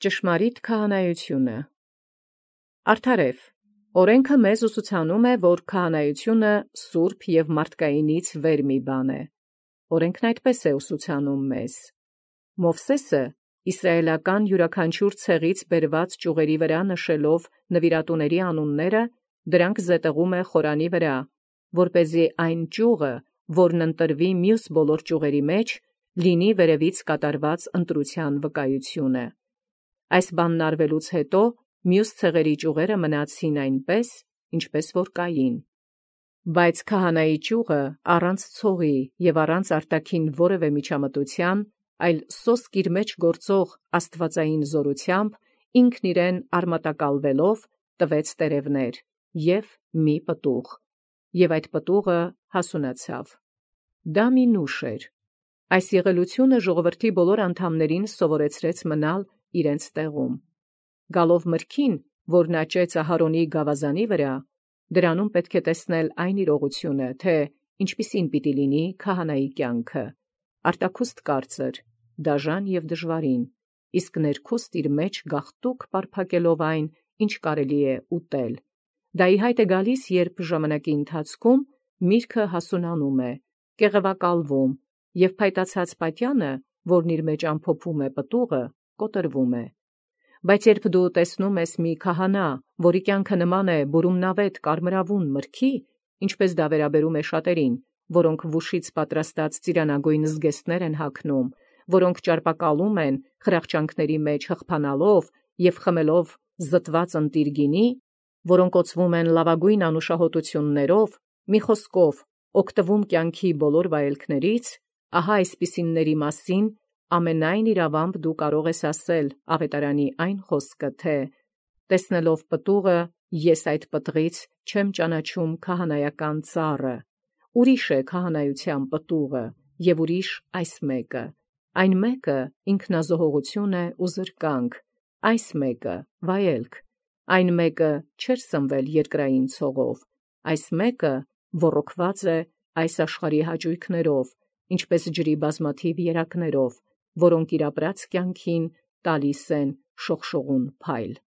Ճշմարիտ քահանայությունը։ Արդարև, օրենքը մեզ ուսուցանում է, որ քահանայությունը սուրբ և մարդկայինից վեր մի բան է։ Օրենքն այդպես է ուսուցանում մեզ։ Մովսեսը իսրայելական յուրաքանչյուր ցեղից բերված ճյուղերի վրա նշելով նվիրատուների անունները, դրանք զետեղում է խորանի վրա, որպեսզի այն ճյուղը, որն ընտրվի մյուս բոլոր ճյուղերի մեջ, լինի վերևից կատարված ընտրության վկայությունը։ Այս բանն արվելուց հետո մյուս ցեղերի ճյուղերը մնացին այնպես, ինչպես որ կային։ Բայց քահանայի ճյուղը առանց ցողի և առանց արտաքին որևէ միջամտության, այլ սոսկ իր մեջ գործող աստվածային զորությամբ, ինքն իրեն արմատակալվելով տվեց տերևներ և մի պտուղ, և այդ պտուղը հասունացավ։ Դա մի նուշ էր։ Այս եղելությունը ժողովրդի բոլոր անդամներին սովորեցրեց մնալ իրենց տեղում։ Գալով մրգին, որն աճեց Ահարոնի գավազանի վրա, դրանում պետք է տեսնել այն իրողությունը, թե ինչպիսին պիտի լինի քահանայի կյանքը, արտաքուստ կարծր, դաժան և դժվարին, իսկ ներքուստ իր մեջ գաղտուկ պարփակելով այն, ինչ կարելի է ուտել։ Դա ի հայտ է գալիս, երբ ժամանակի ընթացքում միրգը հասունանում է, կեղևակալվում, և փայտացած պատյանը, որն իր մեջ ամփոփում է պտուղը, կոտրվում է։ Բայց երբ դու տեսնում ես մի քահանա, որի կյանքը նման է բուրումնավետ կարմրավուն մրգի, ինչպես դա վերաբերում է շատերին, որոնք վուշից պատրաստած ծիրանագույն զգեստներ են հագնում, որոնք ճարպակալում են խրախճանքների մեջ հղբանալով և խմելով զտված ընտիր գինի, որոնք օծվում են լավագույն անուշահոտություններով, մի խոսքով, օգտվում կյանքի բոլոր վայելքներից, ահա այսպիսինների մասին ամենայն իրավամբ դու կարող ես ասել ավետարանի այն խոսքը, թե տեսնելով պտուղը, ես այդ պտղից չեմ ճանաչում քահանայական ծառը, ուրիշ է քահանայության պտուղը, և ուրիշ այս մեկը, այն մեկը ինքնազոհողություն է ու զրկանք, այս մեկը վայելք, այն մեկը չէր սնվել երկրային ցողով, այս մեկը ոռոգված է այս աշխարհի հաճույքներով, ինչպես ջրի բազմաթիվ երակներով, որոնք իր ապրած կյանքին տալիս են շողշողուն փայլ։